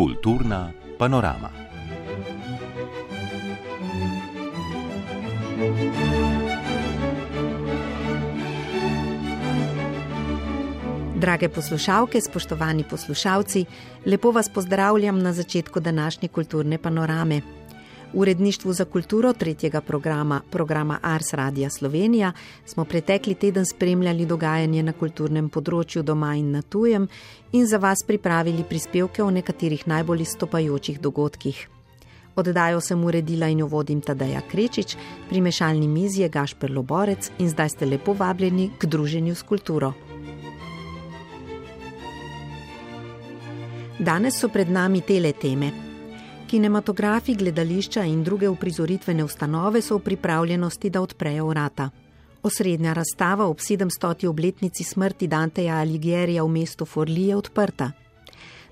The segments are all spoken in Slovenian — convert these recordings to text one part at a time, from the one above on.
Kulturna panorama. Drage poslušalke, spoštovani poslušalci, lepo vas pozdravljam na začetku današnje kulturne panorame. V uredništvu za kulturo tretjega programa Ars Radia Slovenija smo pretekli teden spremljali dogajanje na kulturnem področju doma in na tujem in za vas pripravili prispevke o nekaterih najbolj izstopajočih dogodkih. Oddajo sem uredila in jo vodim Tadeja Krečič, pri mešalni mizi je Gašper Loborec in zdaj ste lepo vabljeni k druženju s kulturo. Danes so pred nami tele teme. Kinematografi, gledališča in druge uprizoritvene ustanove so v pripravljenosti, da odprejo vrata. Osrednja razstava ob 700. obletnici smrti Danteja Alighierija v mestu Forlì je odprta.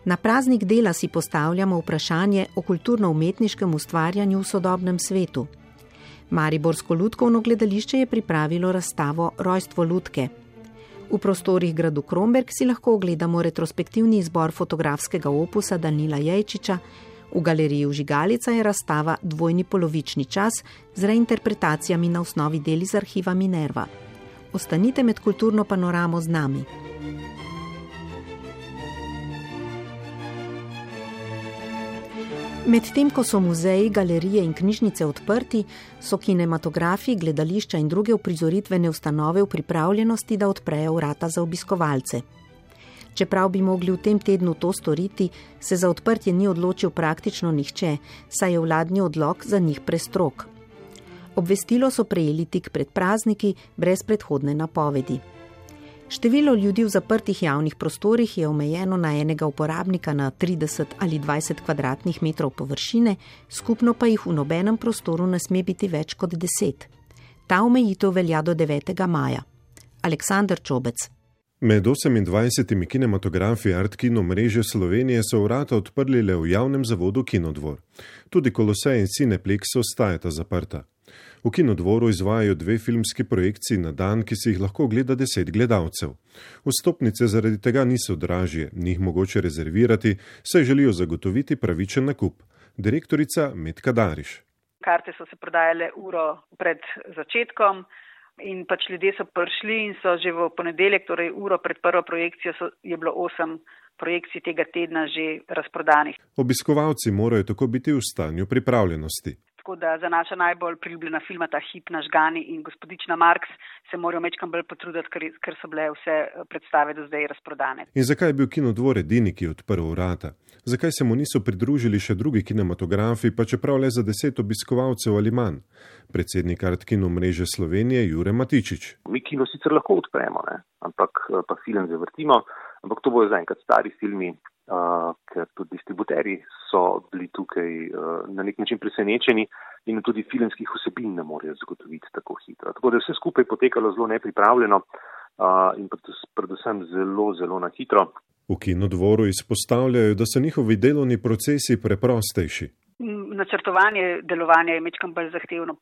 Na praznik dela si postavljamo vprašanje o kulturno-umetniškem ustvarjanju v sodobnem svetu. Mariborsko lutkovno gledališče je pripravilo razstavo Rojstvo lutke. V prostorih gradu Kromberk si lahko ogledamo retrospektivni izbor fotografskega opusa Danila Jejčiča. V galeriji Vžigalica je razstava Dvojni polovični čas z reinterpretacijami na osnovi del iz arhiva Minerva. Ostanite med kulturno panoramo z nami. Medtem ko so muzeji, galerije in knjižnice odprti, so kinematografi, gledališča in druge uprizoritvene ustanove v pripravljenosti, da odprejo vrata za obiskovalce. Čeprav bi mogli v tem tednu to storiti, se za odprtje ni odločil praktično nihče, saj je vladni odlok za njih prestrog. Obvestilo so prejeli tik pred prazniki, brez predhodne napovedi. Število ljudi v zaprtih javnih prostorih je omejeno na enega uporabnika na 30 ali 20 kvadratnih metrov površine, skupno pa jih v nobenem prostoru ne sme biti več kot 10. Ta omejitev velja do 9. maja. Aleksander Čobec. Med 28 kinematografi Art Kino mreže Slovenije so vrata odprli le v javnem zavodu Kinodvor. Tudi Kolosej in Cineplex ostajata zaprta. V Kinodvoru izvajajo 2 filmski projekciji na dan, ki si jih lahko ogleda 10 gledalcev. Vstopnice zaradi tega niso dražje, ni jih mogoče rezervirati, saj želijo zagotoviti pravičen nakup. Direktorica Metka Dariš. Karte so se prodajale uro pred začetkom. In ljudje so prišli in so že v ponedeljek, torej uro pred prvo projekcijo, je bilo 8 projekcij tega tedna že razprodanih. Obiskovalci morajo tako biti v stanju pripravljenosti. Tako da za naša najbolj priljubljena filma, ta Hip Nažgani in Gospodična Marks, se morajo mečkam bolj potruditi, ker so bile vse predstave do zdaj razprodane. In zakaj je bil Kinodvor edini, ki je odprl vrata? Zakaj se mu niso pridružili še drugi kinematografi, pa čeprav le za 10 obiskovalcev ali manj? Predsednik Art Kino mreže Slovenije Jure Matičič. Mi kino sicer lahko odpremo, ampak pa film zavrtimo, ampak to bojo zaenkrat stari filmi, ker tudi distributerji so bili tukaj na nek način presenečeni in tudi filmskih vsebin ne morejo zagotoviti tako hitro. Tako da je vse skupaj potekalo zelo nepripravljeno in predvsem zelo, zelo na hitro. V Kinodvoru izpostavljajo, da so njihovi delovni procesi preprostejši. Načrtovanje delovanja je mečkam bolj zahtevno,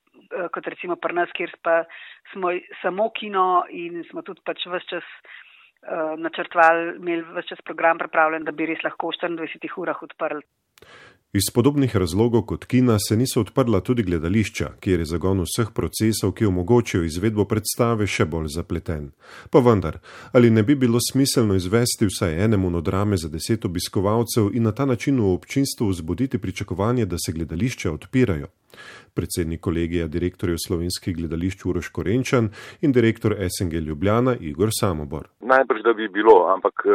kot recimo pri nas, kjer pa smo samo kino in smo tudi ves čas načrtovali, imeli ves čas program pripravljen, da bi res lahko v 24 urah odprli. Iz podobnih razlogov kot kina se niso odprla tudi gledališča, kjer je zagon vseh procesov, ki omogočijo izvedbo predstave, še bolj zapleten. Pa vendar, ali ne bi bilo smiselno izvesti vsaj ene monodrame za 10 obiskovalcev in na ta način v občinstvu vzbuditi pričakovanje, da se gledališča odpirajo? Predsednik kolegija direktorjev slovenskih gledališč Uroš Korenčan in direktor SNG Ljubljana Igor Samobor. Najbrž, da bi bilo, ampak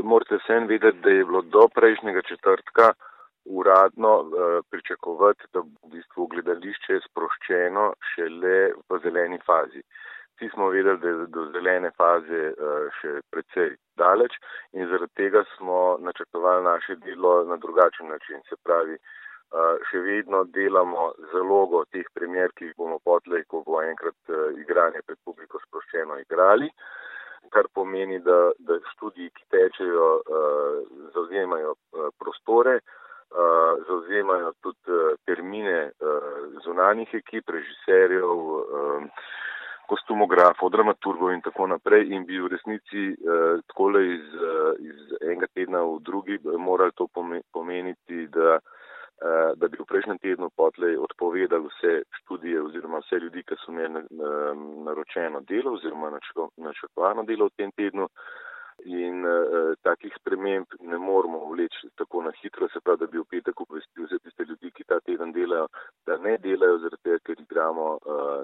morate vsem vedeti, da je bilo do prejšnjega četrtka uradno pričakovati, da v bistvu gledališče je sproščeno šele v zeleni fazi. Vsi smo vedeli, da je do zelene faze še precej daleč in zaradi tega smo načrtovali naše delo na drugačen način. Se pravi, še vedno delamo zalogo teh premier, ki jih bomo potlej, ko bo enkrat igranje pred publiko sproščeno igrali, kar pomeni, da študiji, ki tečejo, zavzemajo prostore, zavzemajo tudi termine zunanjih ekip, režiserjev, kostumografov, dramaturgov in tako naprej in bi v resnici takole iz enega tedna v drugi morali to pomeniti, da bi v prejšnjem tednu potlej odpovedali vse študije oziroma vse ljudi, ki so imeli naročeno delo oziroma načrtovano delo v tem tednu. In takih sprememb ne moramo vleči tako na hitro, se pravi, da bi v petek obvestil vse tiste ljudi, ki ta teden delajo, da ne delajo zaradi tega, ker igramo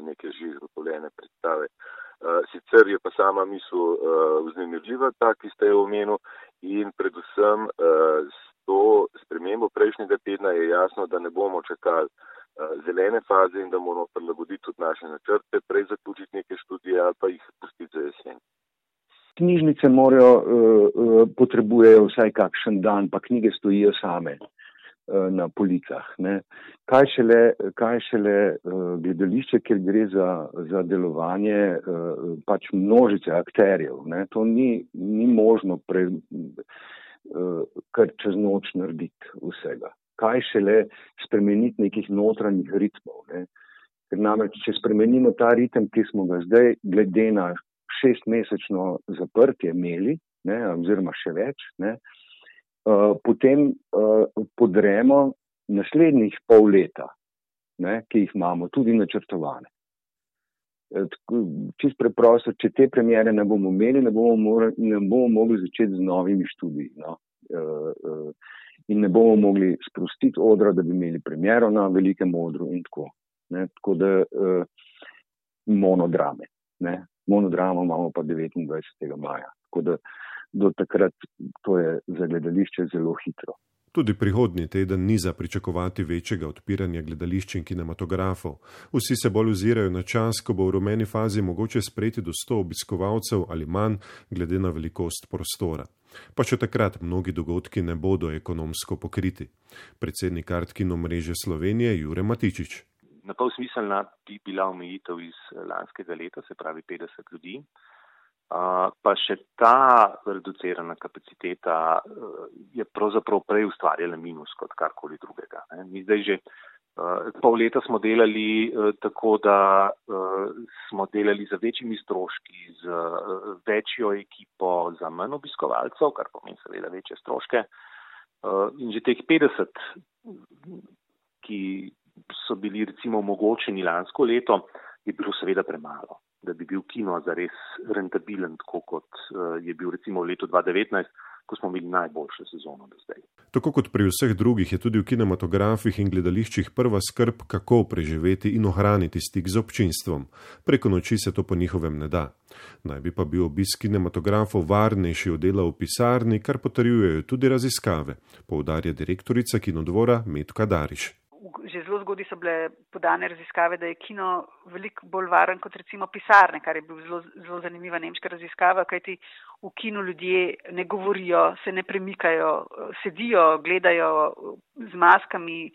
neke že izgotovljene predstave. Sicer je pa sama misel vznemirljiva, ta, ki ste jo omenil, in predvsem s to spremembo prejšnjega tedna je jasno, da ne bomo čakali zelene faze in da moramo prilagoditi tudi naše načrte, prej zaključiti neke študije ali pa jih pustiti za jesen. Knjižnice potrebujejo vsaj kakšen dan, pa knjige stojijo same na policah. Ne. Kaj šele gledališče, kjer gre za delovanje pač množice akterjev. Ne. To ni možno kar čez noč narediti vsega. Kaj šele spremeniti nekih notranjih ritmov. Ne. Ker namreč, če spremenimo ta ritem, ki smo ga zdaj glede na 6-mesečno zaprtje imeli, ne, oziroma še več, ne, potem podremo naslednjih pol leta, ne, ki jih imamo tudi načrtovane. Čist preprosto, če te premiere ne bomo imeli, ne bomo mogli začeti z novimi študiji. No. In ne bomo mogli sprostiti odra, da bi imeli premiero na velikem odru in tako. Ne. Tako da monodrame. Ne. Monodramo imamo pa 29. maja. Tako da do takrat to je za gledališče zelo hitro. Tudi prihodnji teden ni za pričakovati večjega odpiranja gledališč in kinematografov. Vsi se bolj ozirajo na čas, ko bo v rumeni fazi mogoče sprejeti do 100 obiskovalcev ali manj, glede na velikost prostora. Pa še takrat mnogi dogodki ne bodo ekonomsko pokriti. Predsednik Art Kino mreže Slovenije Jure Matičič. Na pol smiselna bi bila omejitev iz lanskega leta, se pravi 50 ljudi. Pa še ta reducirana kapaciteta je pravzaprav prej ustvarjala minus kot karkoli drugega. Mi zdaj že pol leta smo delali tako, da smo delali za večjimi stroški, z večjo ekipo, za manj obiskovalcev, kar pomeni seveda večje stroške. In že teh 50, ki so bili recimo omogočeni lansko leto, je bilo seveda premalo, da bi bil kino zares rentabilen, tako kot je bil recimo v letu 2019, ko smo imeli najboljšo sezono do zdaj. Tako kot pri vseh drugih je tudi v kinematografih in gledališčih prva skrb, kako preživeti in ohraniti stik z občinstvom. Preko noči se to po njihovem ne da. Naj bi pa bil obisk kinematografov varnejši od dela v pisarni, kar potrjujejo tudi raziskave, poudarja direktorica Kinodvora Metka Dariš. Že zelo zgodaj so bile podane raziskave, da je kino veliko bolj varen kot recimo pisarne, kar je bil zelo zanimiva nemška raziskava, kajti v kinu ljudje ne govorijo, se ne premikajo, sedijo, gledajo z maskami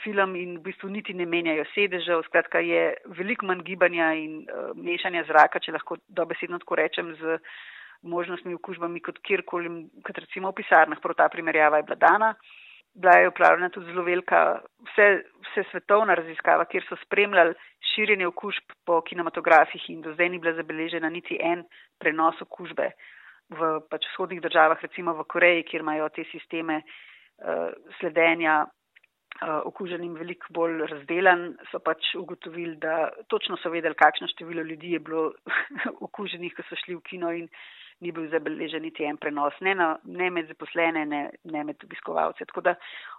film in v bistvu niti ne menjajo sedežev. Skratka, je veliko manj gibanja in mešanja zraka, če lahko dobesedno tako rečem, z možnostmi okužbami kot kjerkoli, kot recimo v pisarnah. Prav ta primerjava je bila dana. Bila je upravljena tudi zelo velika vse svetovna raziskava, kjer so spremljali širjenje okužb po kinematografih in do zdaj ni bila zabeležena niti en prenos okužbe v vzhodnih državah, recimo v Koreji, kjer imajo te sisteme sledenja okuženim veliko bolj razdelan, so ugotovili, da točno so vedeli, kakšno število ljudi je bilo okuženih, ko so šli v kino in ni bil zabeležen niti en prenos, ne med zaposlene, ne med obiskovalce. Tako da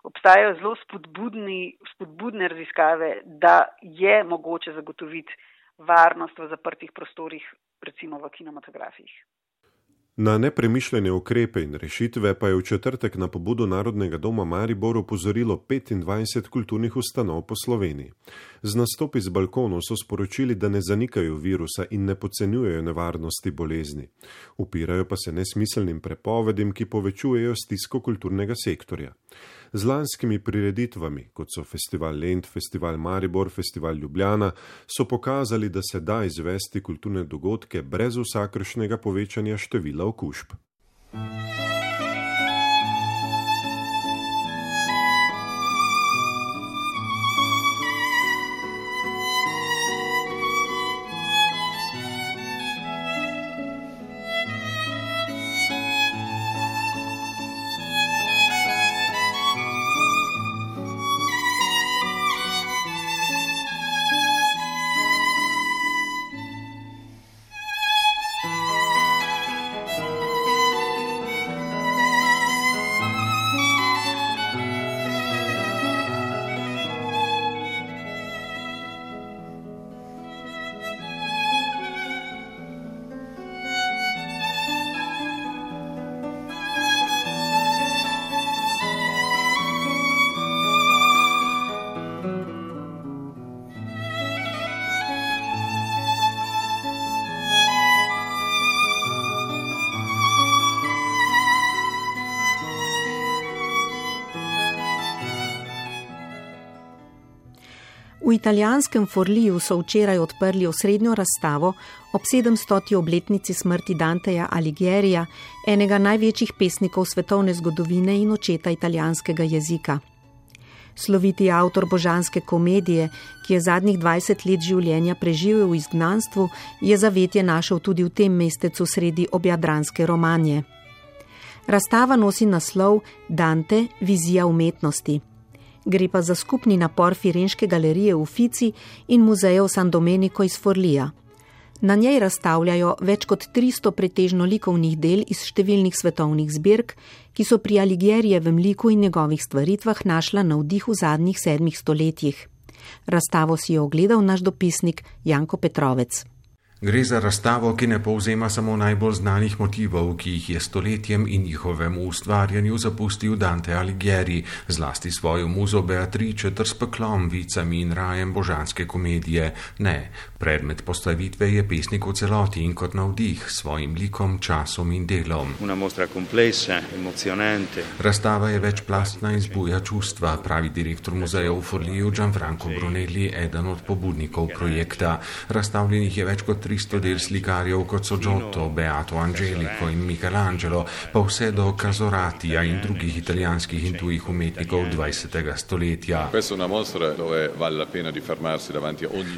obstajajo zelo spodbudne raziskave, da je mogoče zagotoviti varnost v zaprtih prostorih, recimo v kinematografih. Na nepremišljene ukrepe in rešitve pa je v četrtek na pobudo Narodnega doma Maribor opozorilo 25 kulturnih ustanov po Sloveniji. Z nastopi z balkonov so sporočili, da ne zanikajo virusa in ne podcenjujejo nevarnosti bolezni. Upirajo pa se nesmiselnim prepovedim, ki povečujejo stisko kulturnega sektorja. Z lanskimi prireditvami, kot so Festival Lent, Festival Maribor, Festival Ljubljana, so pokazali, da se da izvesti kulturne dogodke brez vsakršnega povečanja števila okužb. V italijanskem Forliju so včeraj odprli osrednjo razstavo ob 700. obletnici smrti Danteja Alighiera, enega največjih pesnikov svetovne zgodovine in očeta italijanskega jezika. Sloviti avtor božanske komedije, ki je zadnjih 20 let življenja preživel v izgnanstvu, je zavetje našel tudi v tem mestecu sredi objadranske Romanje. Razstava nosi naslov Dante, vizija umetnosti. Gre pa za skupni napor Firenške galerije Uffizi in muzejev San Domenico iz Forlija. Na njej razstavljajo več kot 300 pretežno likovnih del iz številnih svetovnih zbirk, ki so pri Alighierinjevem liku in njegovih stvaritvah našla navdih v zadnjih 7 stoletjih. Razstavo si je ogledal naš dopisnik Janko Petrovec. Gre za razstavo, ki ne povzema samo najbolj znanih motivov, ki jih je stoletjem in njihovemu ustvarjanju zapustil Dante Alighieri, zlasti svojo muzo Beatrice ter s peklom, vicami in rajem božanske komedije. Ne, predmet postavitve je pesnik v celoti in kot navdih svojim likom, časom in delom. Una mostra complessa, emozionante. Razstava je večplastna in zbuja čustva, pravi direktor muzeja v Forliju Gianfranco Brunelli, eden od pobudnikov projekta. Razstavljenih je več kot 300 del slikarjev, kot so Giotto, Beato Angelico in Michelangelo, pa vse do Casoratija in drugih italijanskih in tujih umetnikov 20. stoletja.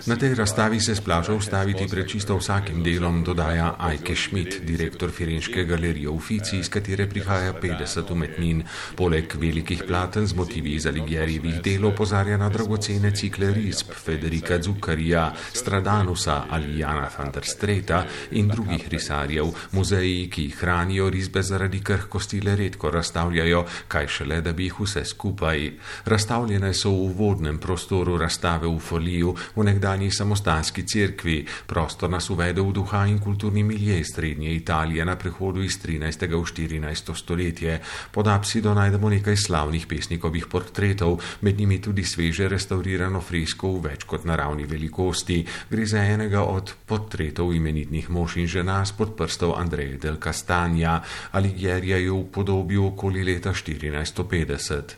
Na tej razstavi se splača ustaviti pred čisto vsakim delom, dodaja Eike Schmidt, direktor Firenške galerije Uffizi, iz katere prihaja 50 umetnin. Poleg velikih platen z motivi iz Alighierinjevih del opozarja na dragocene cikle risb Federica Zuccarija, Stradanusa ali Jana van der Streta in drugih risarjev. Muzeji, ki jih hranijo risbe zaradi krhkosti, le redko razstavljajo, kaj šele, da bi jih vse skupaj. Razstavljene so v uvodnem prostoru razstave v Forliju, v nekdanji samostanski cerkvi. Prostor nas uvede v duha in kulturni milje srednje Italije na prehodu iz 13. v 14. stoletje. Pod apsido najdemo nekaj slavnih pesnikovih portretov, med njimi tudi sveže restaurirano fresko v več kot naravni velikosti. Gre za enega od portretov imenitnih mož in žena spod prstov Andreja del Castagna. Alighieri je upodobil okoli leta 1450.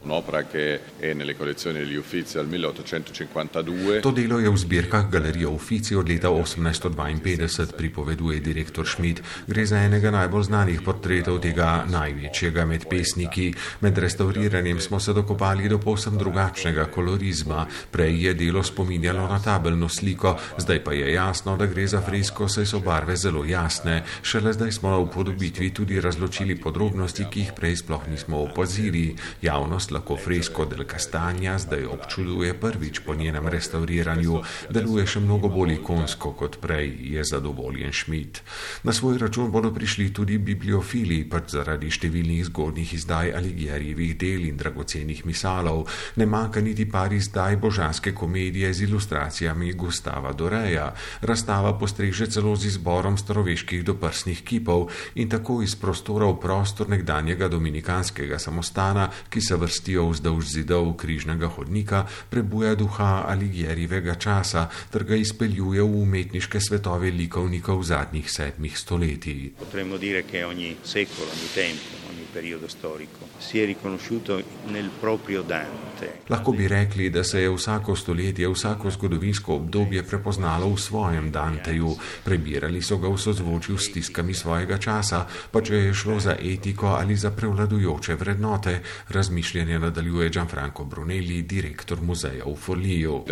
To delo je v zbirkah galerije Uffizi od leta 1852, pripoveduje direktor Schmidt. Gre za enega najbolj znanih portretov tega največjega med pesniki. Med restauriranjem smo se dokopali do povsem drugačnega kolorizma. Prej je delo spominjalo na tabelno sliko, zdaj pa je jasno, da gre za fresko, saj so barve zelo jasne. Šele zdaj smo na upodobitvi tudi razločili podrobnosti, ki jih prej sploh nismo opazili. Javnost lahko fresko del Castagna zdaj občuduje prvič po njenem restauriranju. Deluje še mnogo bolj ikonsko kot prej, je zadovoljen Schmidt. Na svoj račun bodo prišli tudi bibliofili, pač zaradi številnih zgodnjih izdaj Alighierinjevih del in dragocenih misalov. Ne manjka niti par izdaj božanske komedije z ilustracijami Gustava Doreja. Razstava postreže celo z izborom staroveških doprsnih kipov in tako iz prostora v prostor nekdanjega dominikanskega samostana, ki se vrstijo vzdolž zidov križnega hodnika, prebuja duha Alighierinjevega časa ter ga izpeljuje v umetniške svetove likovnikov zadnjih 7 stoletij. Potremmo dire che ogni secolo, ogni tempo, ogni periodo storico si è riconosciuto nel proprio Dante. Lahko bi rekli, da se je vsako stoletje, vsako zgodovinsko obdobje prepoznalo v svojem Danteju. Prebirali so ga v sozvočju s stiskami svojega časa, pa če je šlo za etiko ali za prevladujoče vrednote, razmišljanje nadaljuje Gianfranco Brunelli, direktor muzeja v Forliju.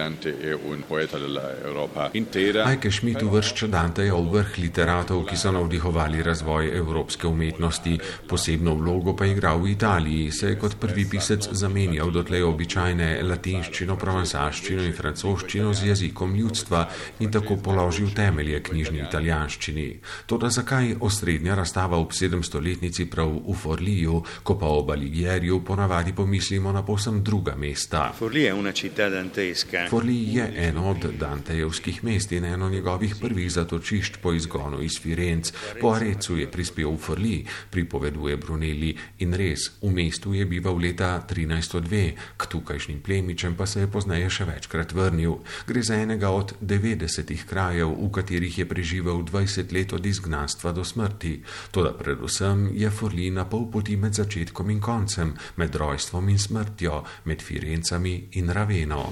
Eike Schmidt uvršča Danteja v vrh literatov, ki so navdihovali razvoj evropske umetnosti. Posebno vlogo pa je igral v Italiji, se je kot prvi pisec zamenjal dotlej običajne latinščino, provansalščino in francoščino z jezikom ljudstva in tako položil temelje knjižni italijanščini. Toda zakaj osrednja razstava ob 700-letnici prav v Forliju, ko pa ob Alighieriu ponavadi pomislimo na povsem druga mesta? Forlì è una città dantesca. Forlì je eno od dantejevskih mest in eno njegovih prvih zatočišč po izgonu iz Firenc. Po Arecu je prispel v Forlì, pripoveduje Brunelli. Brunelli in res, v mestu je bival leta 1302, k tukajšnjim plemičem pa se je pozneje še večkrat vrnil. Gre za enega od 90 krajev, v katerih je preživel 20 let od izgnanstva do smrti. Toda predvsem je Forlì na pol poti med začetkom in koncem, med rojstvom in smrtjo, med Firencami in Raveno.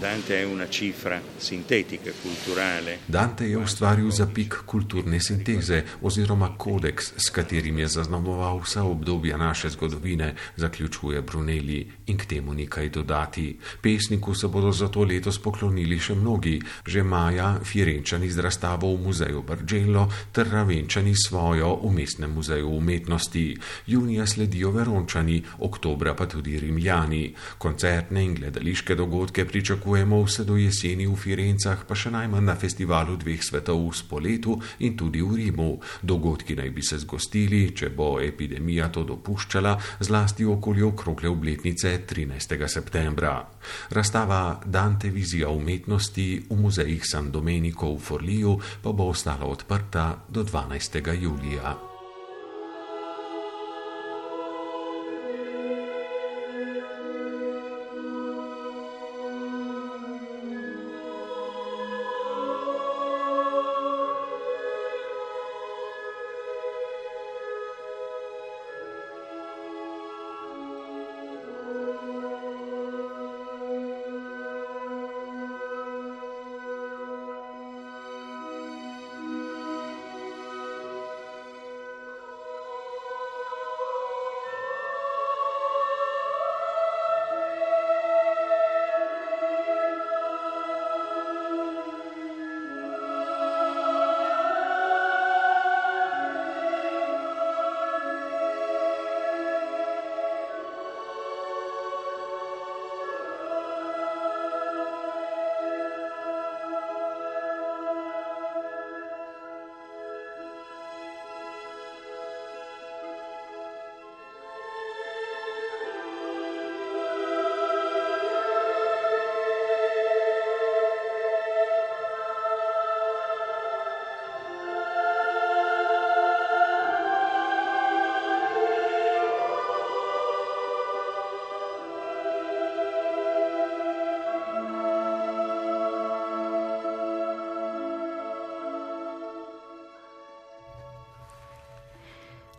Dante je ustvaril zapik kulturne sinteze oziroma kodeks, s katerim je zaznamoval vsa obdobja naše zgodovine, zaključuje Brunelli in k temu nekaj dodati. Pesniku se bodo zato letos poklonili še mnogi, že maja Firenčani z razstavo v muzeju Bargello ter Ravenčani svojo v Mestnem muzeju umetnosti. Junija sledijo Verončani, oktobra pa tudi Rimljani. Koncertne in gledališke dogodke pričakujemo vse do jeseni v Firencah, pa še najmanj na festivalu dveh svetov v Spoletu in tudi v Rimu. Dogodki naj bi se zgostili, če bo epidemija to dopuščala, zlasti okoli okrogle obletnice 13. septembra. Razstava Dante vizija umetnosti v muzejih San Domenico v Forliju pa bo ostala odprta do 12. julija.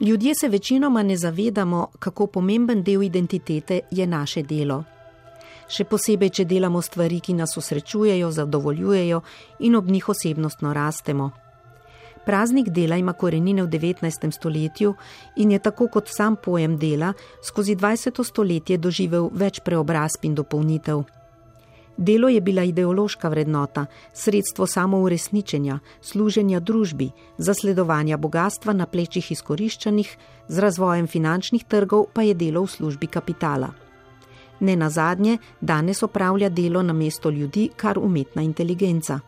Ljudje se večinoma ne zavedamo, kako pomemben del identitete je naše delo. Še posebej, če delamo stvari, ki nas osrečujejo, zadovoljujejo in ob njih osebnostno rastemo. Praznik dela ima korenine v 19. stoletju in je tako kot sam pojem dela skozi 20. stoletje doživel več preobrazb in dopolnitev. Delo je bila ideološka vrednota, sredstvo samouresničenja, služenja družbi, zasledovanja bogatstva na plečih izkoriščanih, z razvojem finančnih trgov pa je delo v službi kapitala. Ne nazadnje, danes opravlja delo namesto ljudi kar umetna inteligenca.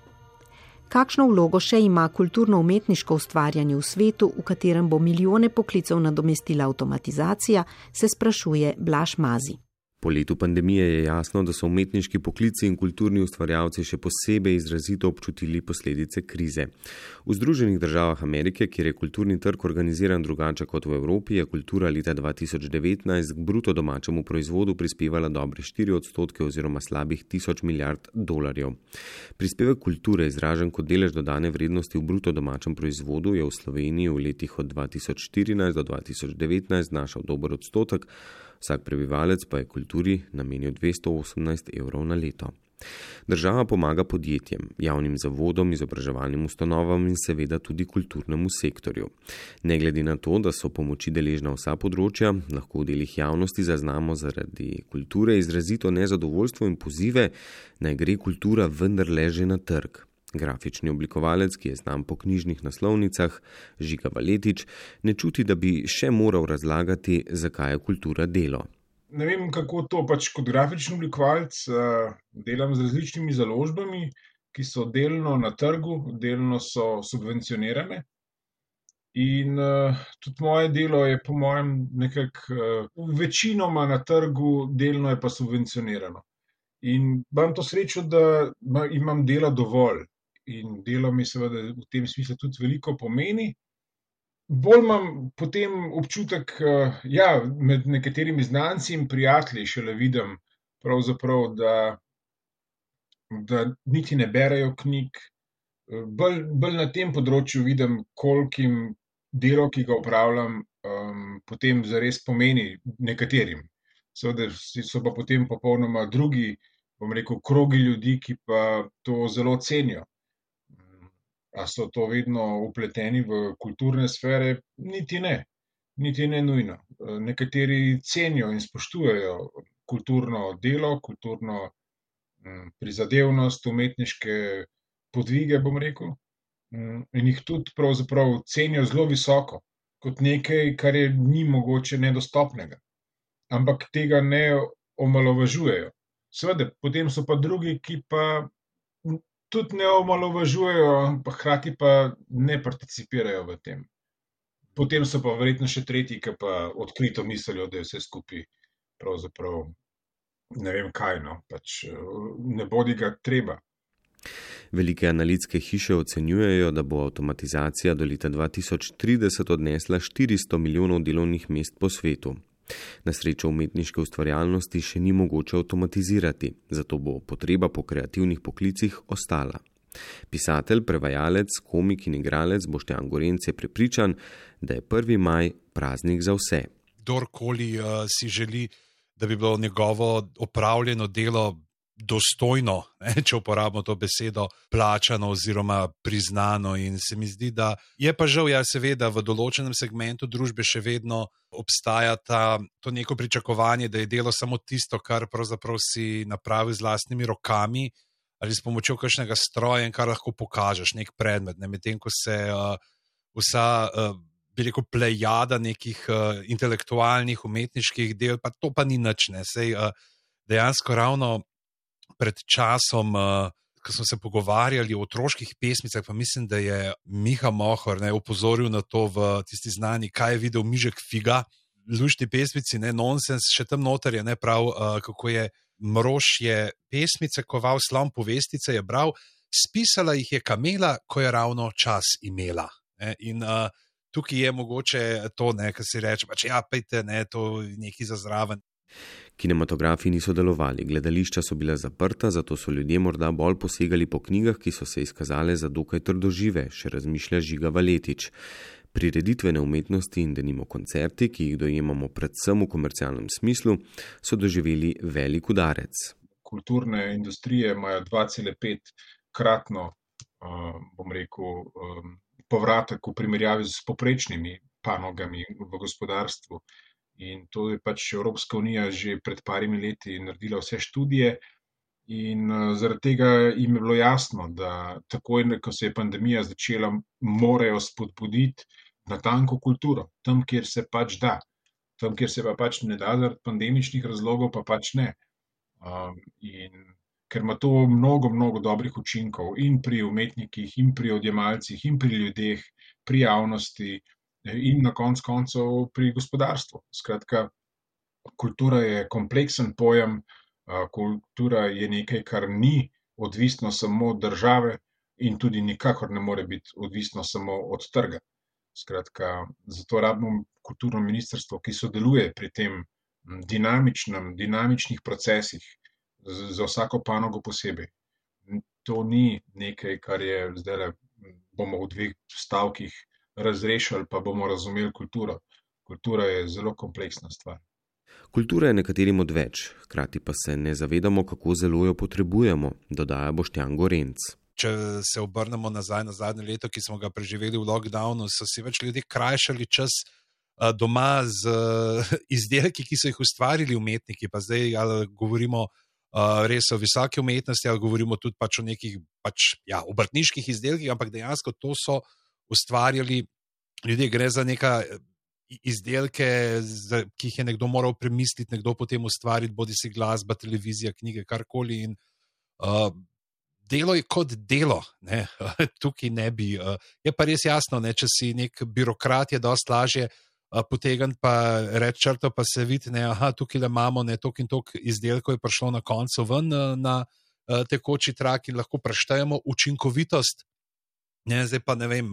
Kakšno vlogo še ima kulturno-umetniško ustvarjanje v svetu, v katerem bo milijone poklicev nadomestila avtomatizacija, se sprašuje Blaž Mazi. Po letu pandemije je jasno, da so umetniški poklici in kulturni ustvarjalci še posebej izrazito občutili posledice krize. V Združenih državah Amerike, kjer je kulturni trg organiziran drugače kot v Evropi, je kultura leta 2019 k bruto domačemu proizvodu prispevala dobre 4% oziroma slabih 1000 milijard dolarjev. Prispevek kulture, izražen kot delež dodane vrednosti v bruto domačem proizvodu, je v Sloveniji v letih od 2014 do 2019 znašal dober odstotek, vsak prebivalec pa je kulturi namenil 218 evrov na leto. Država pomaga podjetjem, javnim zavodom, izobraževalnim ustanovam in seveda tudi kulturnemu sektorju. Ne glede na to, da so pomoči deležna vsa področja, lahko v delih javnosti zaznamo zaradi kulture izrazito nezadovoljstvo in pozive, naj gre kultura vendarle že na trg. Grafični oblikovalec, ki je znan po knjižnih naslovnicah, Žiga Valetič, ne čuti, da bi še moral razlagati, zakaj je kultura delo. Ne vem, kako to kot grafični oblikovalec delam z različnimi založbami, ki so delno na trgu, delno so subvencionirane. In tudi moje delo je po mojem nekako večinoma na trgu, delno je pa subvencionirano. In imam to srečo, da imam dela dovolj. In delo mi seveda v tem smislu tudi veliko pomeni. bolj imam potem občutek, med nekaterimi znanci in prijatelji šele vidim pravzaprav, da niti ne berejo knjig. Bolj na tem področju vidim, kolikim delo, ki ga opravljam, potem zares pomeni nekaterim. Seveda so pa potem popolnoma drugi, bom rekel, krogi ljudi, ki pa to zelo cenijo. A so to vedno vpleteni v kulturne sfere? Niti ne nujno. Nekateri cenijo in spoštujejo kulturno delo, kulturno prizadevnost, umetniške podvige, bom rekel, in jih tudi pravzaprav cenijo zelo visoko, kot nekaj, kar je ni mogoče nedostopnega. Ampak tega ne omalovažujejo. Seveda, potem so pa drugi, ki pa tudi ne omalovažujejo, pa hkrati pa ne participirajo v tem. Potem so pa verjetno še tretji, ki pa odkrito mislijo, da je vse skupaj pravzaprav ne vem kaj, pač ne bodi ga treba. Velike analitske hiše ocenjujejo, da bo avtomatizacija do leta 2030 odnesla 400 milijonov delovnih mest po svetu. Na srečo umetniške ustvarjalnosti še ni mogoče avtomatizirati, zato bo potreba po kreativnih poklicih ostala. Pisatelj, prevajalec, komik in igralec Boštjan Gorenc je prepričan, da je 1. maj praznik za vse. Kdorkoli si želi, da bi bilo njegovo opravljeno delo dostojno, če uporabimo to besedo, plačano oziroma priznano, in se mi zdi, da je pa žal, seveda v določenem segmentu družbe še vedno obstaja to neko pričakovanje, da je delo samo tisto, kar pravzaprav si napravil z lastnimi rokami ali s pomočjo kakšnega stroja in kar lahko pokažeš, nek predmet, medtem ko se vsa bi rekel plejada nekih intelektualnih, umetniških del, pa to pa ni nič, Sej dejansko ravno pred časom, ko smo se pogovarjali o otroških pesmicah, pa mislim, da je Miha Mohor opozoril na to v tisti znani Kaj je videl Mižek figa, luštni pesmici, nonsens, še tam noter je prav, kako je Mrož je pesmice koval, Slon povestice je bral, spisala jih je kamela, ko je ravno čas imela. In tukaj je mogoče to, kar si reče, pač pejte, to nekaj za zraven. Kinematografi niso delovali, gledališča so bila zaprta, zato so ljudje morda bolj posegali po knjigah, ki so se izkazale za dokaj trdožive, še razmišlja Žiga Valetič. Prireditvene umetnosti in denimo koncerti, ki jih dojemamo predvsem v komercialnem smislu, so doživeli velik udarec. Kulturne industrije imajo 2,5 kratno, bom rekel, povratek v primerjavi s poprečnimi panogami v gospodarstvu. In to je pač Evropska unija že pred parimi leti naredila vse študije in zaradi tega jim je bilo jasno, da takoj, ko se je pandemija začela, morajo spodbuditi natanko kulturo, tam, kjer se pač da. Tam, kjer se pa pač ne da zaradi pandemičnih razlogov, pa pač ne. In ker ima to mnogo, mnogo dobrih učinkov in pri umetnikih, in pri odjemalcih, in pri ljudeh, pri javnosti, in na koncu koncev pri gospodarstvu. Skratka, kultura je kompleksen pojem, kultura je nekaj, kar ni odvisno samo od države in tudi nikakor ne more biti odvisno samo od trga. Skratka, zato rabimo kulturno ministrstvo, ki sodeluje pri tem dinamičnih procesih za vsako panogo posebej. To ni nekaj, kar je zdaj bomo v 2 stavkih razrešili, pa bomo razumeli kulturo. Kultura je zelo kompleksna stvar. Kultura je nekaterim odveč, hkrati pa se ne zavedamo, kako zelo jo potrebujemo, dodaja Boštjan Gorenc. Če se obrnemo nazaj na zadnje leto, ki smo ga preživeli v lockdownu, so si več ljudje krajšali čas doma z izdelki, ki so jih ustvarili umetniki, pa zdaj govorimo res o visoki umetnosti, ali govorimo tudi pač o nekih obrtniških izdelkih, ampak dejansko to so ustvarjali ljudje, gre za neka izdelke, ki jih je nekdo moral premisliti, nekdo potem ustvariti, bodi si glasba, televizija, knjige, karkoli, in delo je kot delo, tukaj ne bi. Je pa res jasno, če si nek birokrat, je dosti lažje potegniti pa reči črto, pa se vidi, tukaj imamo toliko in toliko izdelkov, je prišlo na koncu ven na tekoči trak in lahko preštejemo učinkovitost. Zdaj pa ne vem,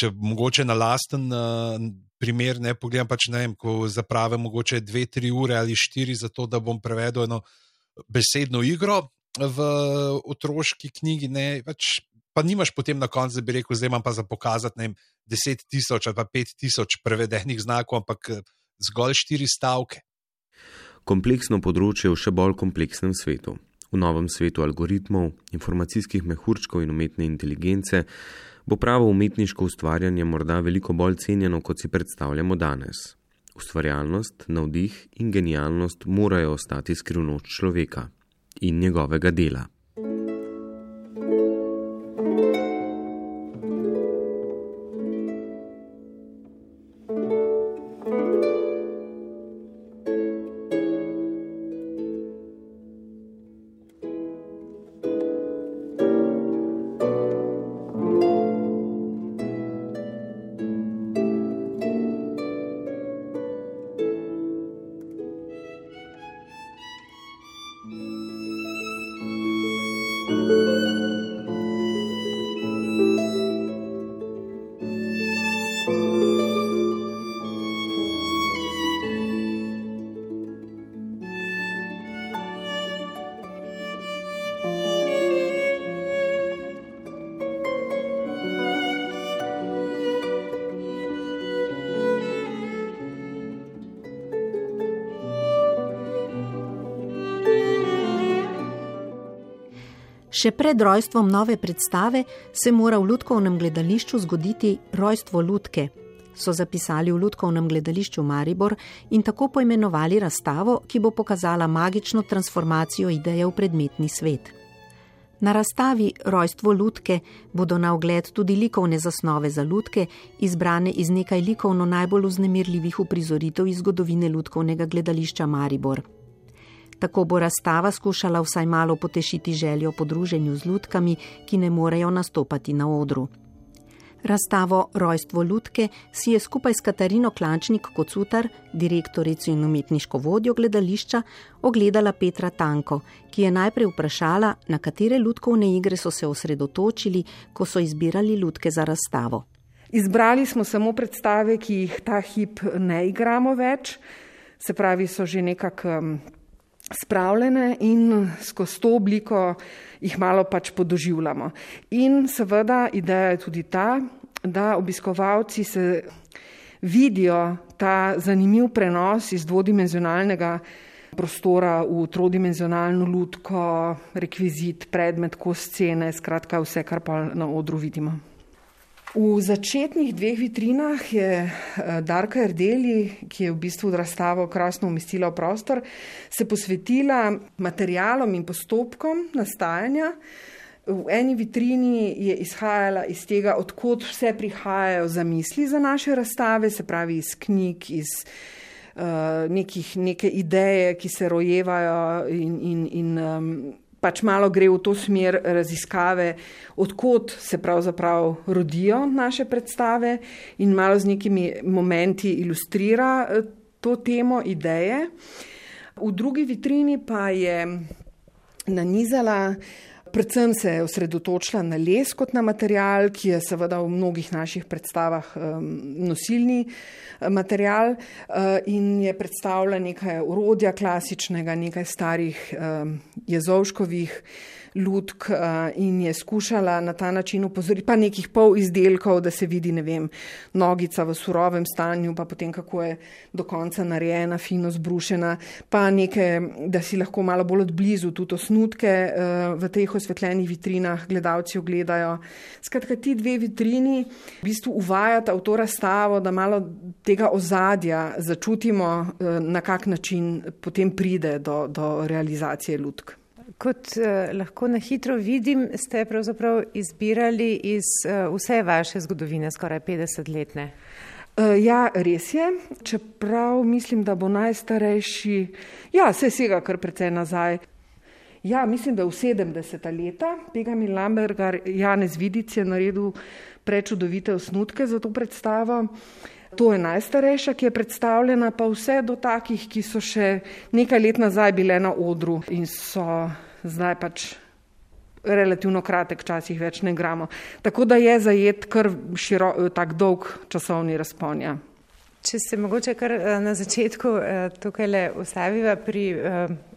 če mogoče na lasten primer ne pogledam, pač ne vem, ko zapravim mogoče 2-3 ure ali 4 za to, da bom prevedel eno besedno igro v otroški knjigi, ne, pač pa nimaš potem na koncu, da bi rekel, zdaj imam pa za pokazati, ne vem, 10,000 ali pa 5,000 prevedenih znakov, ampak zgolj 4 stavke. Kompleksno področje v še bolj kompleksnem svetu. V novem svetu algoritmov, informacijskih mehurčkov in umetne inteligence bo pravo umetniško ustvarjanje morda veliko bolj cenjeno, kot si predstavljamo danes. Ustvarjalnost, navdih in genialnost morajo ostati skrivnost človeka in njegovega dela. Še pred rojstvom nove predstave se mora v Lutkovnem gledališču zgoditi rojstvo lutke, so zapisali v Lutkovnem gledališču Maribor in tako poimenovali razstavo, ki bo pokazala magično transformacijo ideje v predmetni svet. Na razstavi Rojstvo lutke bodo na ogled tudi likovne zasnove za lutke, izbrane iz nekaj likovno najbolj vznemirljivih uprizoritev iz zgodovine Lutkovnega gledališča Maribor. Tako bo razstava skušala vsaj malo potešiti željo po druženju z lutkami, ki ne morejo nastopati na odru. Razstavo Rojstvo lutke si je skupaj s Katarino Klančnik-Kocutar, direktorico in umetniško vodjo gledališča, ogledala Petra Tanko, ki je najprej vprašala, na katere lutkovne igre so se osredotočili, ko so izbirali lutke za razstavo. Izbrali smo samo predstave, ki jih ta hip ne igramo več, se pravi, so že nekako spravljene in skozi to obliko jih malo pač podoživljamo. In seveda ideja je tudi ta, da obiskovalci se vidijo ta zanimiv prenos iz dvodimenzionalnega prostora v trodimenzionalno lutko, rekvizit, predmet, kos scene, skratka vse, kar pa na odru vidimo. V začetnih 2 vitrinah je Darka Erdeli, ki je v bistvu razstavo krasno umestila v prostor, se posvetila materialom in postopkom nastajanja. V eni vitrini je izhajala iz tega, odkot vse prihajajo zamisli za naše razstave, se pravi iz knjig, iz neke ideje, ki se rojevajo in pač malo gre v to smer raziskave, odkot se pravzaprav rodijo naše predstave in malo z nekimi momenti ilustrira to temo, ideje. V drugi vitrini pa je nanizala, predvsem se je osredotočila na les kot na material, ki je seveda v mnogih naših predstavah nosilni material in je predstavila nekaj orodja klasičnega, nekaj starih Jezovškovih lutk in je skušala na ta način upozoriti, pa nekih pol izdelkov, da se vidi, ne vem, nogica v surovem stanju, pa potem kako je do konca narejena, fino zbrušena, pa nekaj, da si lahko malo bolj odblizu tudi osnutke v teh osvetljenih vitrinah gledalci ogledajo. Skratka, ti 2 vitrini v bistvu uvajata v to razstavo, da malo tega ozadja začutimo, na kak način potem pride do realizacije lutk. Kot lahko na hitro vidim, ste pravzaprav izbirali iz vse vaše zgodovine, skoraj 50-letne. Ja, res je, čeprav mislim, da bo najstarejši, se sega kar precej nazaj. Ja, mislim, da v 70. leta Benjamin Lambergar, Janez Vidic je naredil prečudovite osnutke za to predstavo. To je najstarejša, ki je predstavljena, pa vse do takih, ki so še nekaj let nazaj bile na odru in so zdaj pač relativno kratek čas jih več ne igramo. Tako da je zajet kar tak dolg časovni razpon. Ja. Če se mogoče kar na začetku tukaj ustaviva pri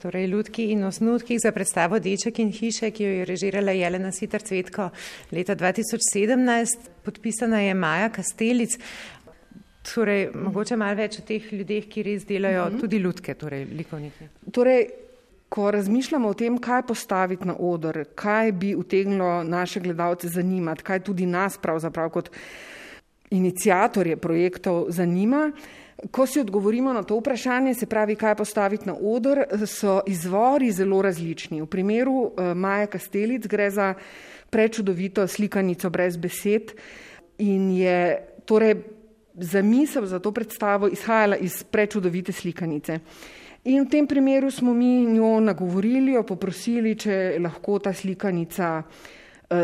torej lutki in osnutkih za predstavo Deček in hiše, ki jo je režirala Jelena Sitar Cvetko leta 2017, podpisana je Maja Kastelic. Torej, mogoče malo več o teh ljudeh, ki res delajo tudi lutke, torej likovnike. Torej, ko razmišljamo o tem, kaj postaviti na oder, kaj bi utegnilo naše gledalce zanimati, kaj tudi nas pravzaprav kot iniciatorje projektov zanima, ko si odgovorimo na to vprašanje, se pravi, kaj postaviti na oder, so izvori zelo različni. V primeru Maje Kastelic gre za prečudovito slikanico brez besed in je torej zamisel za to predstavo izhajala iz prečudovite slikanice. In v tem primeru smo mi njo nagovorili, jo poprosili, če lahko ta slikanica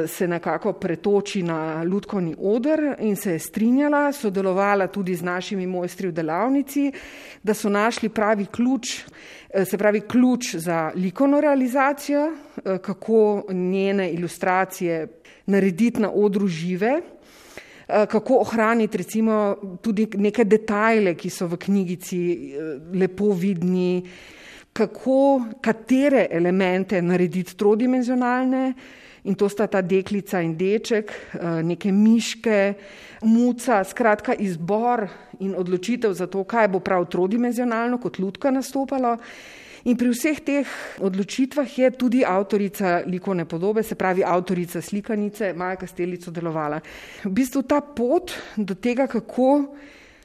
se nekako pretoči na lutkovni oder in se je strinjala, sodelovala tudi z našimi mojstri v delavnici, da so našli pravi ključ, se pravi ključ za likovno realizacijo, kako njene ilustracije narediti na odru žive, kako ohraniti recimo tudi neke detajle, ki so v knjigici lepo vidni, katere elemente narediti trodimenzionalne, in to sta ta deklica in deček, neke miške, muca, skratka izbor in odločitev za to, kaj bo prav trodimenzionalno kot lutka nastopalo. In pri vseh teh odločitvah je tudi avtorica likovne podobe, se pravi avtorica slikanice, Maja Kastelic sodelovala. V bistvu ta pot do tega, kako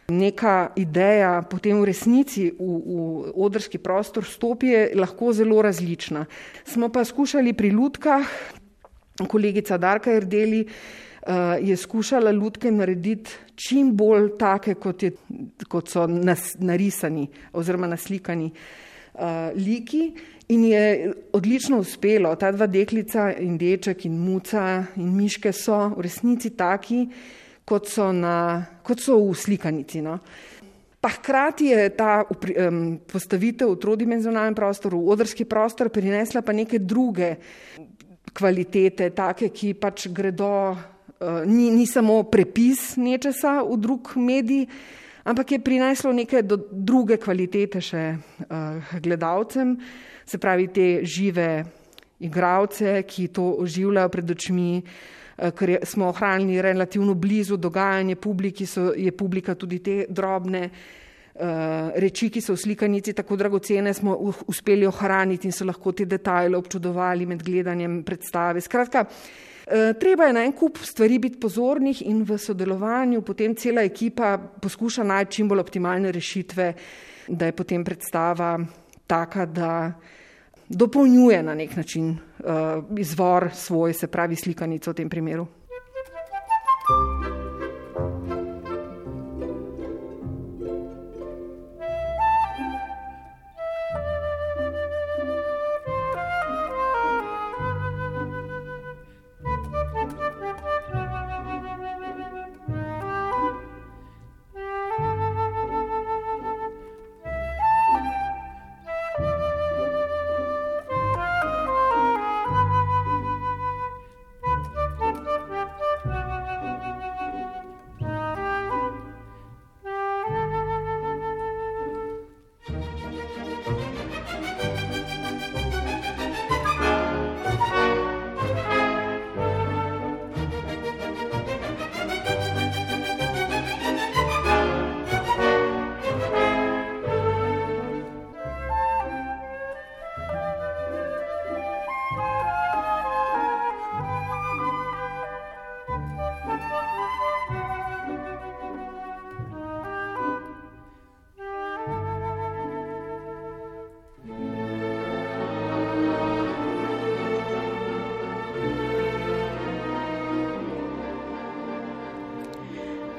neka ideja potem v resnici v odrski prostor stopi, je lahko zelo različna. Smo pa skušali pri lutkah, kolegica Darka Erdeli je skušala lutke narediti čim bolj take, kot so narisani oziroma naslikani liki in je odlično uspelo. Ta dva deklica in deček in muca in miške so v resnici taki, kot so v slikanici. No. Pa hkrati je ta postavitev v trodimenzionalnem prostoru, v odrski prostor, prinesla pa neke druge kvalitete, take, ki pač gredo, ni samo prepis nečesa v drug medij, ampak je prineslo neke druge kvalitete še gledalcem, se pravi te žive igralce, ki to oživljajo pred očmi, ker smo ohranili relativno blizu dogajanje publiki, je publika tudi te drobne reči, ki so v slikanici tako dragocene, smo uspeli ohraniti in so lahko te detajle občudovali med gledanjem predstave. Skratka, treba je na en kup stvari biti pozornih in v sodelovanju potem cela ekipa poskuša najti čim bolj optimalne rešitve, da je potem predstava taka, da dopolnjuje na nek način izvor svoj, se pravi slikanico v tem primeru.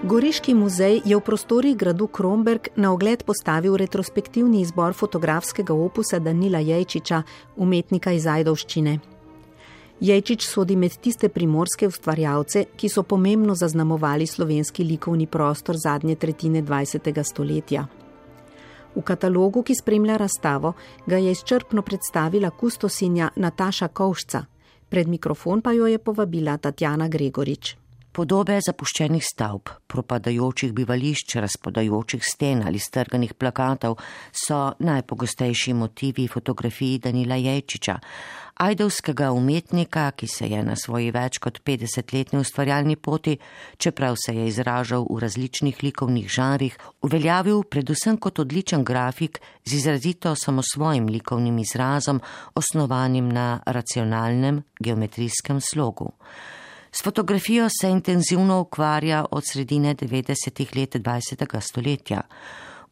Goriški muzej je v prostorih gradu Kromberk na ogled postavil retrospektivni izbor fotografskega opusa Danila Jejčiča, umetnika iz Ajdovščine. Jejčič sodi med tiste primorske ustvarjalce, ki so pomembno zaznamovali slovenski likovni prostor zadnje tretjine 20. stoletja. V katalogu, ki spremlja razstavo, ga je izčrpno predstavila kustosinja Nataša Kovšca. Pred mikrofon pa jo je povabila Tatjana Gregorič. Podobe zapuščenih stavb, propadajočih bivališč, razpadajočih sten ali strganih plakatov so najpogostejši motivi fotografij Danila Jejčiča, ajdovskega umetnika, ki se je na svoji več kot 50-letni ustvarjalni poti, čeprav se je izražal v različnih likovnih žanrih, uveljavil predvsem kot odličen grafik z izrazito samosvojim likovnim izrazom, osnovanim na racionalnem geometrijskem slogu. S fotografijo se intenzivno ukvarja od sredine 90-ih let 20. stoletja.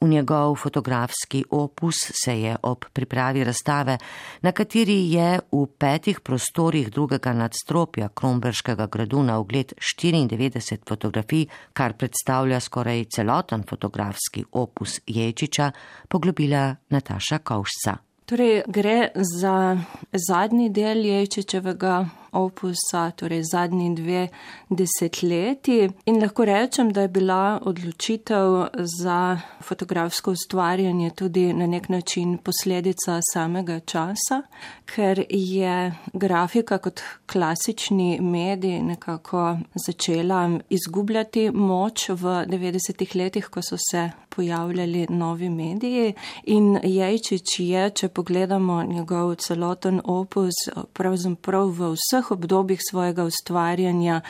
V njegov fotografski opus se je ob pripravi razstave, na kateri je v 5 prostorih drugega nadstropja Kromberškega gradu na ogled 94 fotografij, kar predstavlja skoraj celoten fotografski opus Jejčiča, poglobila Nataša Kovšca. Torej, gre za zadnji del Jejčičevega opusa, torej zadnji 2 desetletji, in lahko rečem, da je bila odločitev za fotografsko ustvarjanje tudi na nek način posledica samega časa, ker je grafika kot klasični medij nekako začela izgubljati moč v 90-ih letih, ko so se pojavljali novi mediji, in Jejčič je, če pogledamo njegov celoten opus, pravzaprav v vseh obdobjih svojega ustvarjanja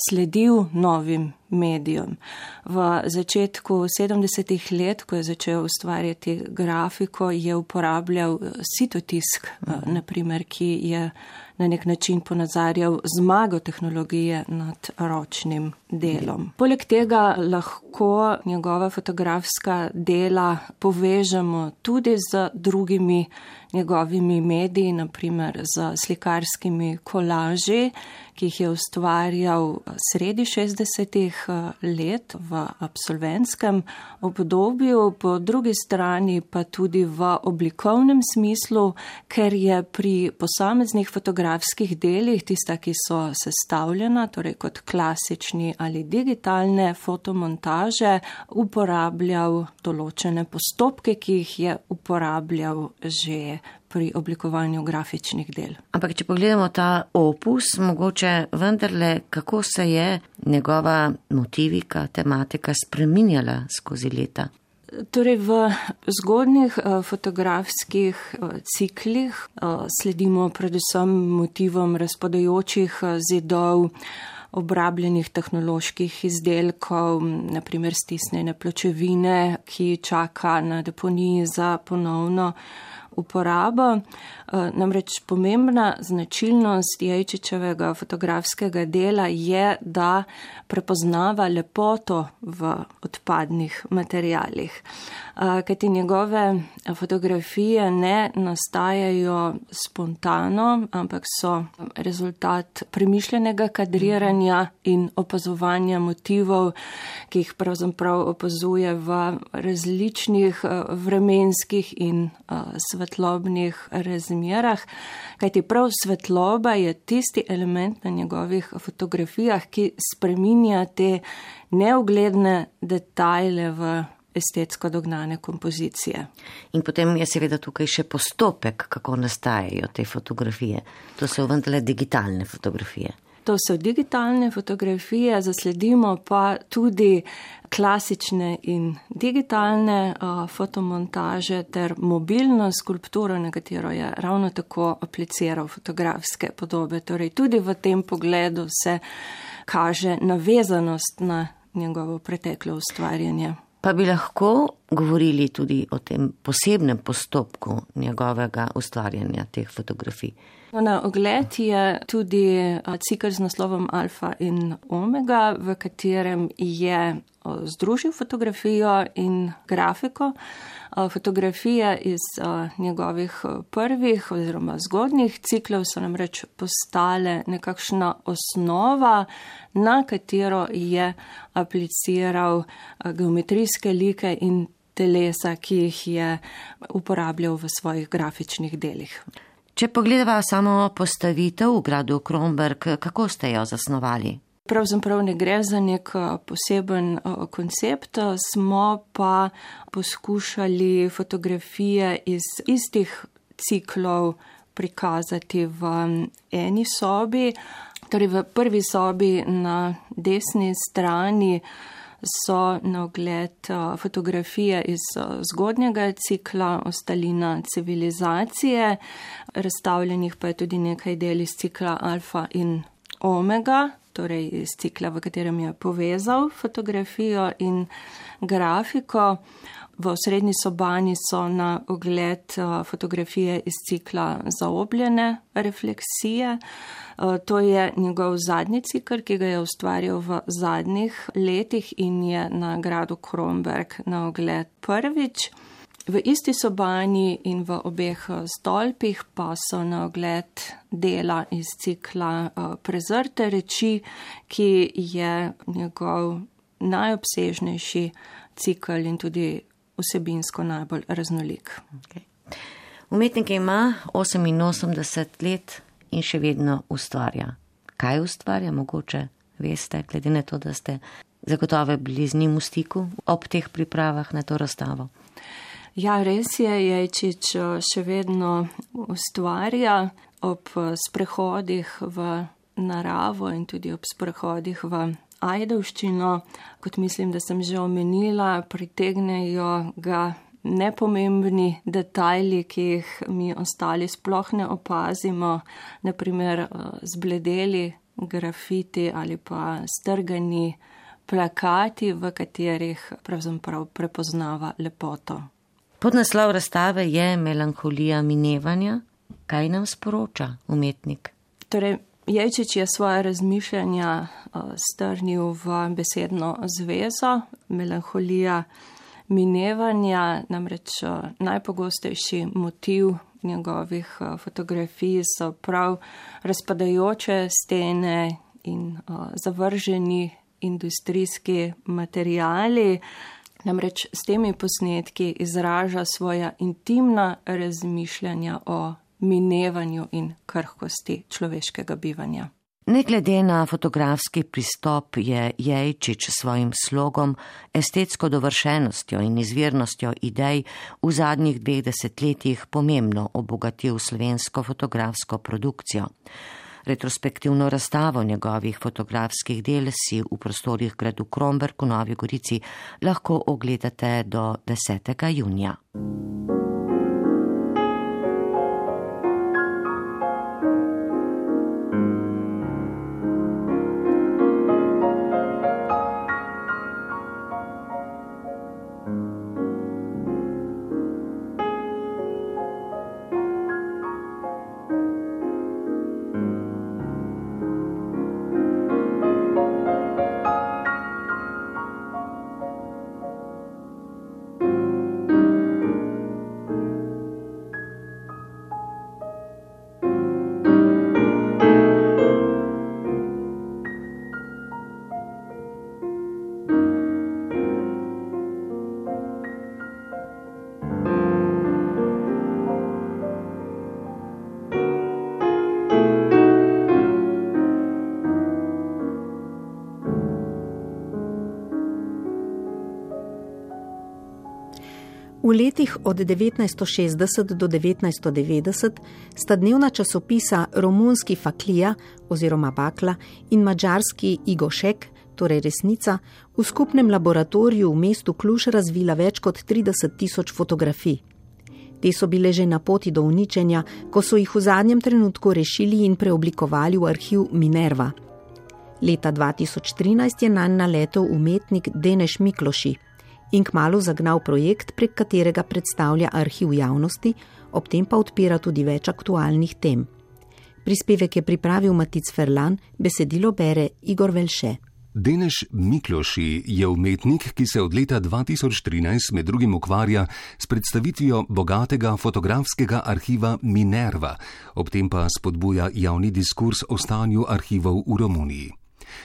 sledil novim medijem. V začetku 70-ih let, ko je začel ustvarjati grafiko, je uporabljal sitotisk, naprimer, ki je na nek način ponazarjal zmago tehnologije nad ročnim delom. Poleg tega lahko njegova fotografska dela povežemo tudi z drugimi njegovimi mediji, naprimer z slikarskimi kolaži, ki jih je ustvarjal sredi 60-ih let v absolventskem obdobju, po drugi strani pa tudi v oblikovnem smislu, ker je pri posameznih fotografskih delih, tista, ki so sestavljena, torej kot klasični ali digitalne fotomontaže, uporabljal določene postopke, ki jih je uporabljal že pri oblikovanju grafičnih del. Ampak, če pogledamo ta opus, mogoče vendarle, kako se je njegova motivika, tematika spreminjala skozi leta? Torej, v zgodnjih fotografskih ciklih sledimo predvsem motivom razpadajočih zidov, obrabljenih tehnoloških izdelkov, naprimer stisnjene pločevine, ki čaka na deponiji za ponovno uporabo. Namreč pomembna značilnost Jejčičevega fotografskega dela je, da prepoznava lepoto v odpadnih materialih. Kajti njegove fotografije ne nastajajo spontano, ampak so rezultat premišljenega kadriranja in opazovanja motivov, ki jih pravzaprav opazuje v različnih vremenskih in svetlobnih razmerah, kajti prav svetloba je tisti element na njegovih fotografijah, ki spreminja te neugledne detajle v estetsko dognane kompozicije. In potem je seveda tukaj še postopek, kako nastajajo te fotografije. To so vendarle digitalne fotografije. To so digitalne fotografije, zasledimo pa tudi klasične in digitalne fotomontaže ter mobilno skulpturo, na katero je ravno tako apliciral fotografske podobe. Torej tudi v tem pogledu se kaže navezanost na njegovo preteklo ustvarjanje. Pa bi lahko govorili tudi o tem posebnem postopku njegovega ustvarjanja teh fotografij. Na ogled je tudi cikel z naslovom Alfa in Omega, v katerem je združil fotografijo in grafiko. Fotografije iz njegovih prvih oziroma zgodnjih ciklov so namreč postale nekakšna osnova, na katero je apliciral geometrijske like in telesa, ki jih je uporabljal v svojih grafičnih delih. Če pogledava samo postavitev v gradu Kromberk, kako ste jo zasnovali? Pravzaprav ne gre za nek poseben koncept, smo pa poskušali fotografije iz istih ciklov prikazati v eni sobi. Torej v prvi sobi na desni strani so na ogled fotografije iz zgodnjega cikla Ostalina civilizacije, razstavljenih pa je tudi nekaj del iz cikla Alfa in Omega, torej iz cikla, v katerem je povezal fotografijo in grafiko. V osrednji sobani so na ogled fotografije iz cikla Zaobljene refleksije. To je njegov zadnji cikl, ki ga je ustvaril v zadnjih letih in je na gradu Kronberg na ogled prvič. V isti sobani in v obeh stolpih pa so na ogled dela iz cikla Prezrte reči, ki je njegov najobsežnejši cikl in tudi vsebinsko najbolj raznolik. Okay. Umetnik ima 88 let in še vedno ustvarja. Kaj ustvarja, mogoče veste, glede na to, da ste zagotovo bili z njim v stiku ob teh pripravah na to razstavo? Ja, res je, Jejčič še vedno ustvarja ob sprehodih v naravo in tudi ob sprehodih v Ajdovščino. Kot mislim, da sem že omenila, pritegnejo ga nepomembni detajli, ki jih mi ostali sploh ne opazimo, naprimer zbledeli grafiti ali pa strgani plakati, v katerih pravzaprav prepoznava lepoto. Podnaslov razstave je Melanholija minevanja. Kaj nam sporoča umetnik? Torej, Jejčič je svoje razmišljanja strnil v besedno zvezo. Melanholija minevanja, namreč najpogostejši motiv njegovih fotografij so prav razpadajoče stene in zavrženi industrijski materiali. Namreč s temi posnetki izraža svoja intimna razmišljanja o minevanju in krhkosti človeškega bivanja. Ne glede na fotografski pristop je Jejčič s svojim slogom, estetsko dovršenostjo in izvirnostjo idej v zadnjih 2 desetletjih pomembno obogatil slovensko fotografsko produkcijo. Retrospektivno razstavo njegovih fotografskih del si v prostorih gradu Kronberg v Novi Gorici lahko ogledate do 10. junija. V letih od 1960 do 1990 sta dnevna časopisa romunski Faklija oziroma Bakla in madžarski Igošek, torej Resnica, v skupnem laboratoriju v mestu Kluž razvila več kot 30.000 fotografij. Te so bile že na poti do uničenja, ko so jih v zadnjem trenutku rešili in preoblikovali v arhiv Minerva. Leta 2013 je nanj naletel umetnik Deneš Mikloši in kmalu zagnal projekt, prek katerega predstavlja arhiv javnosti, ob tem pa odpira tudi več aktualnih tem. Prispevek je pripravil Matic Ferlan, besedilo bere Igor Velše. Deneš Mikloši je umetnik, ki se od leta 2013 med drugim ukvarja s predstavitvijo bogatega fotografskega arhiva Minerva, ob tem pa spodbuja javni diskurs o stanju arhivov v Romuniji.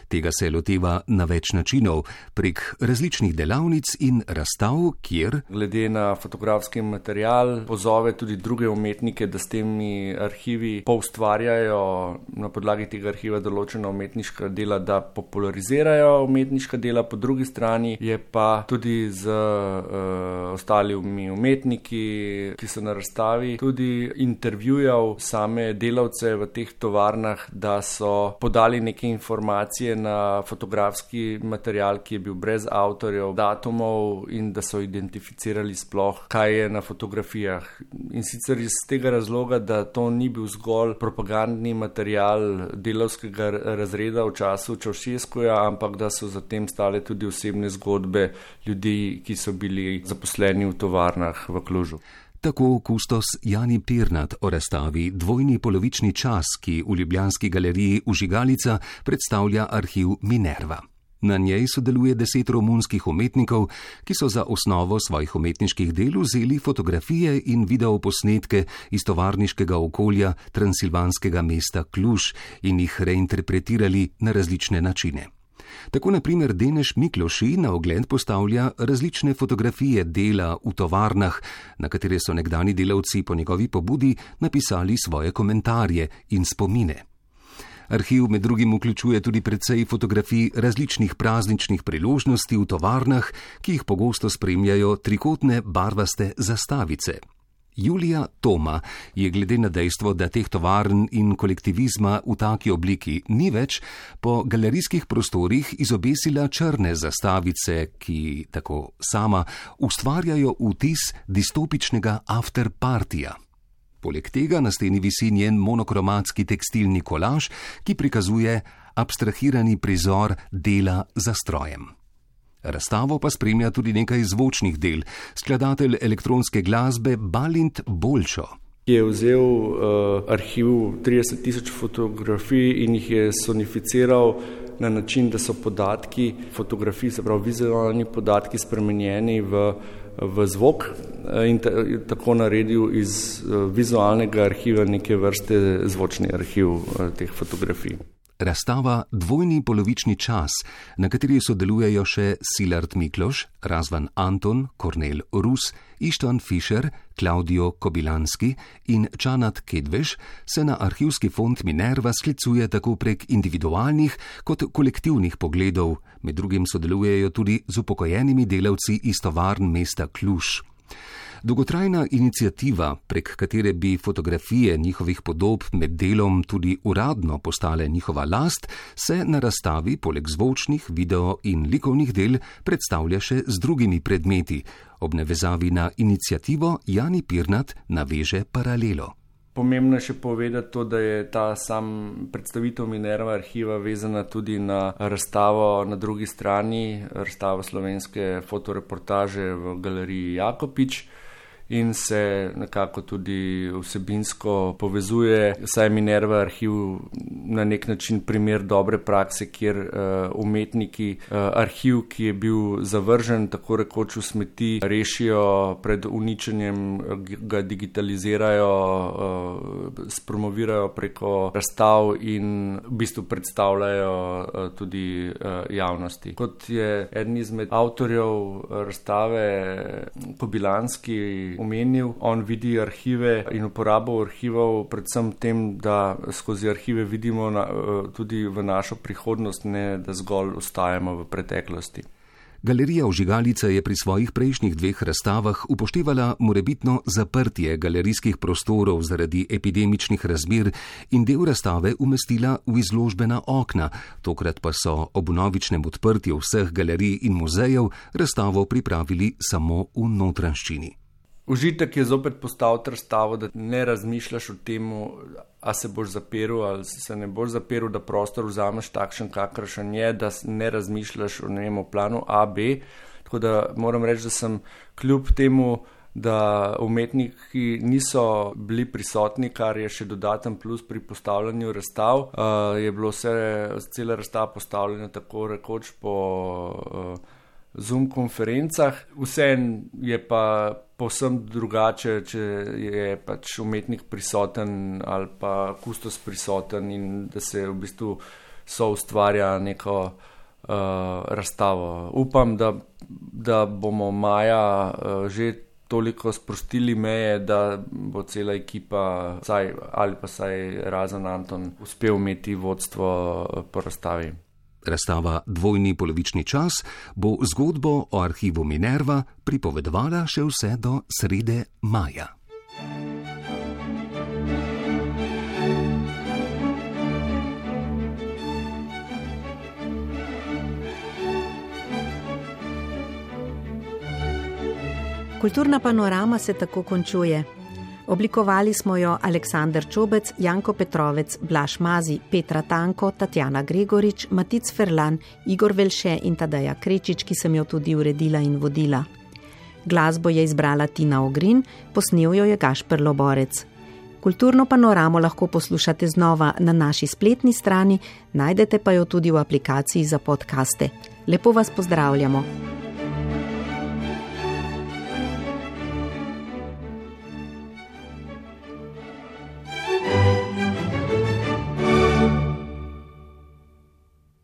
Tega se loteva na več načinov, prek različnih delavnic in razstav, kjer glede na fotografski material pozove tudi druge umetnike, da s temi arhivi poustvarjajo na podlagi tega arhiva določena umetniška dela, da popularizirajo umetniška dela. Po drugi strani je pa tudi z ostalimi umetniki, ki so na razstavi, tudi intervjujal same delavce v teh tovarnah, da so podali neke informacije na fotografski material, ki je bil brez avtorjev, datumov in da so identificirali sploh, kaj je na fotografijah. In sicer iz tega razloga, da to ni bil zgolj propagandni material delavskega razreda v času Čaušeskuja, ampak da so zatem stale tudi osebne zgodbe ljudi, ki so bili zaposleni v tovarnah v Klužu. Tako kustos Jani Pirnat o razstavi Dvojni polovični čas, ki v ljubljanski galeriji Vžigalica predstavlja arhiv Minerva. Na njej sodeluje 10 romunskih umetnikov, ki so za osnovo svojih umetniških del vzeli fotografije in videoposnetke iz tovarniškega okolja transilvanskega mesta Kluž in jih reinterpretirali na različne načine. Tako na primer Denež Mikloši na ogled postavlja različne fotografije dela v tovarnah, na katere so nekdani delavci po njegovi pobudi napisali svoje komentarje in spomine. Arhiv med drugim vključuje tudi precej fotografij različnih prazničnih priložnosti v tovarnah, ki jih pogosto spremljajo trikotne barvaste zastavice. Julija Toma je glede na dejstvo, da teh tovarn in kolektivizma v taki obliki ni več, po galerijskih prostorih izobesila črne zastavice, ki, tako sama, ustvarjajo vtis distopičnega afterpartija. Poleg tega na steni visi njen monokromatski tekstilni kolaž, ki prikazuje abstrahirani prizor dela za strojem. Razstavo pa spremlja tudi nekaj zvočnih del, skladatelj elektronske glasbe Balint Bolšo. Je vzel arhiv 30.000 fotografij in jih je sonificiral na način, da so podatki fotografij, se pravi vizualni podatki, spremenjeni v zvok in tako naredil iz vizualnega arhiva neke vrste zvočni arhiv teh fotografij. Razstava Dvojni polovični čas, na kateri sodelujejo še Szilard Mikloš, Razvan Anton, Kornel Rus, Ištván Fischer, Klaudijo Kobilanski in Čanat Kedveš, se na arhivski fond Minerva sklicuje tako prek individualnih kot kolektivnih pogledov, med drugim sodelujejo tudi z upokojenimi delavci iz tovarn mesta Kluž. Dolgotrajna iniciativa, prek katere bi fotografije njihovih podob med delom tudi uradno postale njihova last, se na razstavi poleg zvočnih, video in likovnih del predstavlja še z drugimi predmeti. Ob navezavi na iniciativo Jani Pirnat naveže paralelo. Pomembno je še povedati to, da je ta sam predstavitev Minerva arhiva vezana tudi na razstavo na drugi strani, razstavo slovenske fotoreportaže v galeriji Jakopič, in se nekako tudi vsebinsko povezuje. Saj Minerva arhiv na nek način primer dobre prakse, kjer umetniki arhiv, ki je bil zavržen, tako rekoč v smeti, rešijo pred uničenjem, ga digitalizirajo, spromovirajo preko razstav in v bistvu predstavljajo tudi javnosti. Kot je eden izmed avtorjev razstave Kobilanski omenil, on vidi arhive in uporabo arhivov predvsem tem, da skozi arhive vidimo tudi v našo prihodnost, ne da zgolj ostajamo v preteklosti. Galerija Vžigalica je pri svojih prejšnjih 2 razstavah upoštevala morebitno zaprtje galerijskih prostorov zaradi epidemičnih razmer in del razstave umestila v izložbena okna, tokrat pa so ob vnovičnem odprtju vseh galerij in muzejev razstavo pripravili samo v notranjščini. Užitek je zopet postaviti razstavo, da ne razmišljaš o tem, a se boš zaprl ali se ne boš zaprl, da prostor vzameš takšen, kakršen je, da ne razmišljaš o planu A, B. Tako da moram reči, da sem kljub temu, da umetniki niso bili prisotni, kar je še dodaten plus pri postavljanju razstav, je bilo cela razstava postavljena tako rekoč po Zoom konferencah. Vseeno je pa povsem drugače, če je pač umetnik prisoten ali pa kustos prisoten in da se v bistvu so ustvarja neko razstavo. Upam, da bomo maja že toliko sprostili meje, da bo cela ekipa, ali pa saj razen Anton, uspel imeti vodstvo po razstavi. Razstava Dvojni polovični čas bo zgodbo o arhivu Minerva pripovedovala še vse do srede maja. Kulturna panorama se tako končuje. Oblikovali smo jo Aleksander Čobec, Janko Petrovec, Blaž Mazi, Petra Tanko, Tatjana Gregorič, Matic Ferlan, Igor Velše in Tadeja Krečič, ki sem jo tudi uredila in vodila. Glasbo je izbrala Tina Ogrin, posnel jo je Gašper Loborec. Kulturno panoramo lahko poslušate znova na naši spletni strani, najdete pa jo tudi v aplikaciji za podcaste. Lepo vas pozdravljamo.